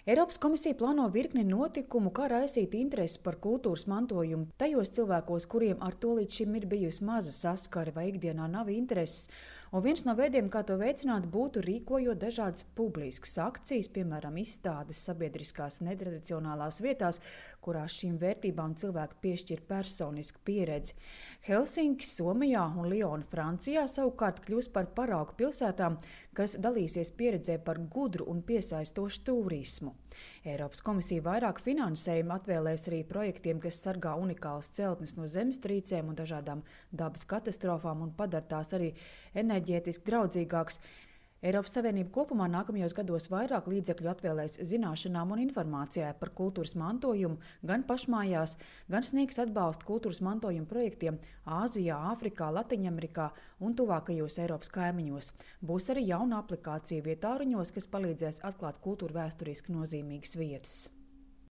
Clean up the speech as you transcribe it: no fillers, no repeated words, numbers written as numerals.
Eiropas komisija plāno virkni notikumu, kā raisīt interesi par kultūras mantojumu tajos cilvēkos, kuriem ar to līdz šim ir bijusi maza saskare vai ikdienā nav intereses. Un viens no veidiem, kā to veicināt, būtu rīkojot dažādas publiskas akcijas, piemēram, izstādes sabiedriskās netradicionālās vietās, kurās šīm vērtībām cilvēki piešķir personisku pieredzi. Helsinki, Somijā un Liona, Francijā savukārt kļūs par paraugu pilsētām, kas dalīsies pieredzē par gudru un piesaistošu turismu. Eiropas komisija vairāk finansējuma atvēlēs arī projektiem, kas sargā unikālas celtnes no zemestrīcēm un dažādām dabas katastrofām un padara tās arī enerģētiski draudzīgākas. Eiropas Savienība kopumā nākamajos gados vairāk līdzekļu atvēlēs zināšanām un informācijai par kultūras mantojumu gan pašmājās, gan sniegs atbalstu kultūras mantojuma projektiem Āzijā, Āfrikā, Latviņamerikā un tuvākajos Eiropas kaimiņos. Būs arī jauna aplikācija vietāruņos, kas palīdzēs atklāt kultūra vēsturiski nozīmīgas vietas.